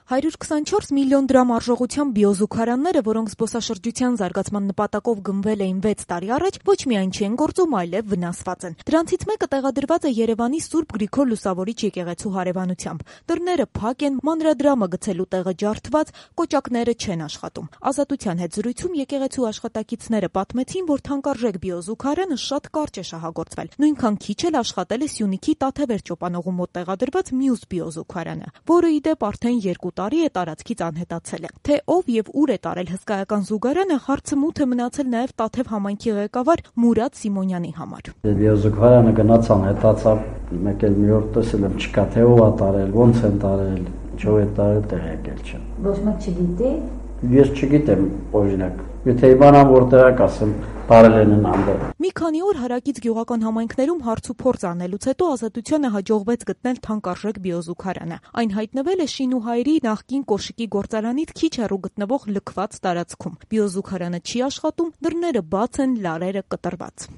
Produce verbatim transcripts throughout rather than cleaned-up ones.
հարյուր քսանչորս միլիոն դրամ արժողությամբ բիոզուգարանները, որոնք զբոսաշրջության զարգացման նպատակով գնվել էին վեց տարի առաջ, ոչ միայն չեն գործում, այլև վնասված են։ Դրանցից մեկը տեղադրված է Երևանի Սուրբ Գրիգոր Լուսավորիչ եկեղեցու հարևանությամբ։ Դռները փակ են, մանրադրամը գցելու տեղը ջարդված, կոճակները չեն աշխատում։ Ազատության հետ զրույցում եկեղեցու աշխատակիցները պատմեցին, որ թանկարժեք բիոզուգարանը շատ կարճ է շահագործվել։ Նույնքան քիչ էլ աշխատել է Սյունիքի Տաթևեր ճոպանողու մոտ տեղադրված մյուս բիոզուգարանը, որը ի դեպ արդեն երկու տարի է տարածքից անհետացել է։ Թե ով եւ ուր է տարել հսկայական զուգարանը, հարցը մութ է մնացել նաեւ Տաթև համայնքի ղեկավար Մուրադ Սիմոնյանի համար։ Բիոզուգարանը գնաց անհետացավ, մեկ էլ մի օր տեսել եմ չկա, թե ով է տարել, ոնց են տարել, ինչով է տարել, տեղեկել չեմ։ Ոչ մեկ չգիտի։ Ես չգիտեմ, օրինակ, եթե իմանամ որտեղ է, ասեմ, տարել են այնտեղ։ Մի քանի օր հարակից գյուղական համայնքներում հարց ու փորձ անելուց հետո Ազատությանը հաջողվեց գտնել թանկարժեք բիոզուգարանը։ Այն հայտնվել է Շինուհայրի նախկին կոշիկի գործարանից քիչ հեռու գտնվող լքված տարածքում։ Բիոզուգարանը չի աշխատում, դռները բաց են, լարերը կտրված։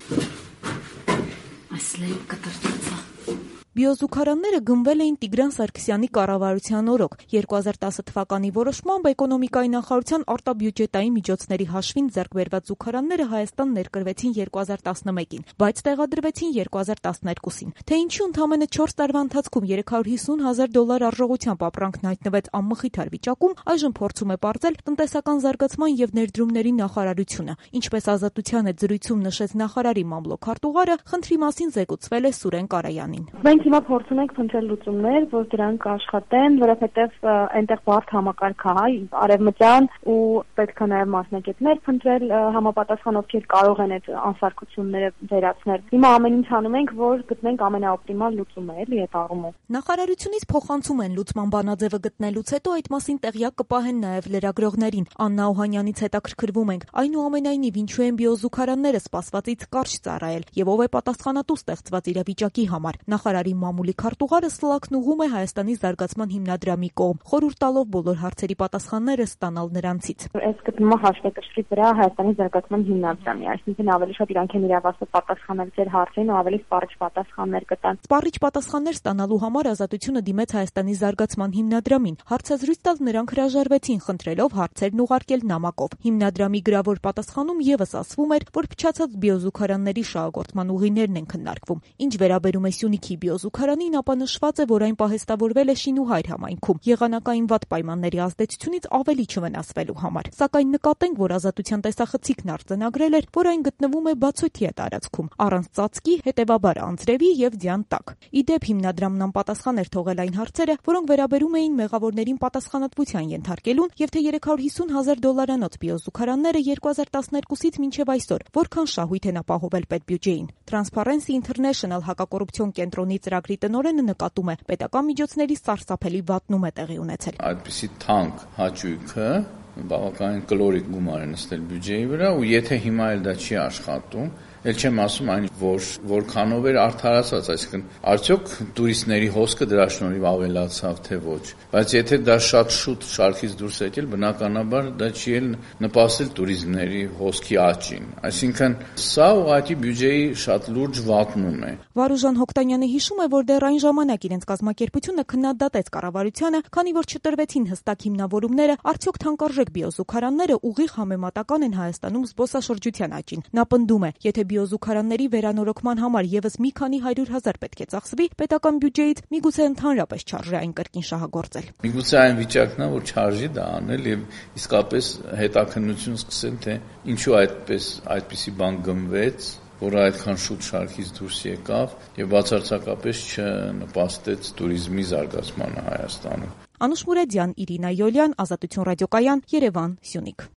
Այսլեւ կտրված է։ Բիոզուգարանները գնվել էին Տիգրան Սարգսյանի կառավարության օրոք։ երկու հազար տասը թվականի որոշմամբ էկոնոմիկայի նախարարության արտաբյուջետային միջոցների հաշվին ձեռք բերված զուգարանները Հայաստան ներկրվեցին երկու հազար տասնմեկին, բայց տեղադրվեցին երկու հազար տասներկուսին։ Թե ինչու ընդամենը չորս տարվա ընթացքում երեք հարյուր հիսուն հազար դոլար արժողությամբ ապրանքն հայտնվեց անմխիթար վիճակում, այժմ փորձում է պարզել տնտեսական զարգացման եւ ներդրումների նախարարությունը։ Ինչպես Ազատության հետ զրույցում նշեց նախարարի մամլոք-քարտուղարը, խնդրի մասին զեկուցվել է Սուրեն Կարայանին։ Մենք հիմա փորձում ենք փնտրել լուծումներ, որ դրանք աշխատեն, որովհետև այնտեղ բարդ համակարգ է, արևմտյան ու պետք է նաև մասնակիցներ փնտրել համապատասխան, ովքեր կարող են այդ անսարքությունները վերացնել։ Հիմա ամեն ինչ անում ենք, որ գտնենք ամենաօպտիմալ լուծումը, էլի այդ առումով։ Նախարարությունից փոխանցում են լուծման բանաձևը գտնելուց հետո այդ մասին տեղյակ կպահեն նաև լրագրողներին։ Աննա Օհանյանից հետաքրքրվում ենք, այնուամենայնիվ ինչու են բիոզուգարանները սպասվածից կարճ ծառայել եւ ով է պատասխանատու ստեղծված իրավիճակի համար։ Նախարարի մամուլի քարտուղարը սլաքն ուղում է Հայաստանի զարգացման հիմնադրամի կողմ, խորհուրդ տալով բոլոր հարցերի պատասխանները ստանալ նրանցից։ Այս գտնումը հաշվեկշռի վրա Հայաստանի զարգացման հիմնադրամի, այսինքն ավելի շատ իրանք են իրավասու պատասխանել ձեր հարցերին ու ավելի սպառիչ պատասխաններ կտան։ Սպառիչ պատասխաններ ստանալու համար Ազատությունը դիմեց Հայաստանի զարգացման հիմնադրամին։ Հարցազրույց տալ նրանք հրաժարվեցին, խնդրելով հարցերն ուղարկել նամակով։ Հիմնադրամի գրավոր պատասխանում եւս ասվում էր, որ փչացած բիոզուգարանների շահագործման ուղիներն են քննարկվում։ Ինչ վերաբերում է Սյունիքի բիոզուգարանին, ապա նշված է, որ այն պահեստավորվել է Շինուհայր համայնքում եղանակային վատ պայմանների ազդեցությունից ավելի չվնասվելու համար։ Սակայն նկատենք, որ Ազատության տեսախցիկն արձանագրել էր, որ այն գտնվում է բացօթյա տարածքում, առանց ծածկի, հետևաբար անձրևի եւ ձյան տակ։ Ի դեպ, հիմնադրամն անպատասխան էր թողել այն հարցերը, որոնք վերաբերում էին մեղավորներին պատասխանատվության ենթարկելուն, եւ թե երեք հարյուր հիսուն հազար դոլարանոց բիոզուգարանները երկու հազար տասներկուսից մինչեւ այսօր որքան շահույթ են ապահովել պետբյուջեին։ Transparency International հակակոռուպցիոն կենտրոնի ծրագրի տնօրենը նկատում է, պետական միջոցների սարսափելի վատնում է տեղի ունեցել։ Այդպիսի թանկ հաճույքը բավականին կլորիկ գումար է նստել բյուջեի վրա, ու եթե հիմա էլ դա չի աշխատում, էլ չեմ ասում այն, որ որքանով էր արդարացված, այսինքն արդյոք տուրիստների հոսքը դրա շնորհիվ ավելացավ, թե ոչ։ Բայց եթե դա շատ շուտ շարքից դուրս է եկել, բնականաբար դա չի էլ նպաստել տուրիզմների հոսքի աճին։ Այսինքն սա ուղղակի բյուջեի շատ լուրջ վատնում է։ Վարուժան Հոկտանյանը հիշում է, որ դեռ այն ժամանակ իրենց կազմակերպությունը քննադատեց կառավարությանը, քանի որ չտրվեցին հստակ հիմնավորումները, արդյոք թանկարժեք բիոզուգարանները ուղիղ համեմատական են Հայաստանում զբոսաշրջության աճին։ Նա պնդում է, եթե բիոզուգարանների վերանորոգման համար եւս մի քանի հարյուր հազար պետք է ծախսվի, պետական բյուջեից միգուցե ընդհանրապես չարժի այն կրկին շահագործել։ Միգուցե այն վիճակն է, որ չարժի դա անել եւ իսկապես հետաքննություն սկսել, թե ինչու այդպես այդպիսի բան գնվեց, որը այդքան շուտ շարքից դուրս եկավ եւ բացարձակապես չնպաստեց տուրիզմի զարգացմանը Հայաստանում։ Անուշ Մուրադյան, Իրինա Յոլյան, Ազատություն ռադիոկայան, Երևան, Սյունիք։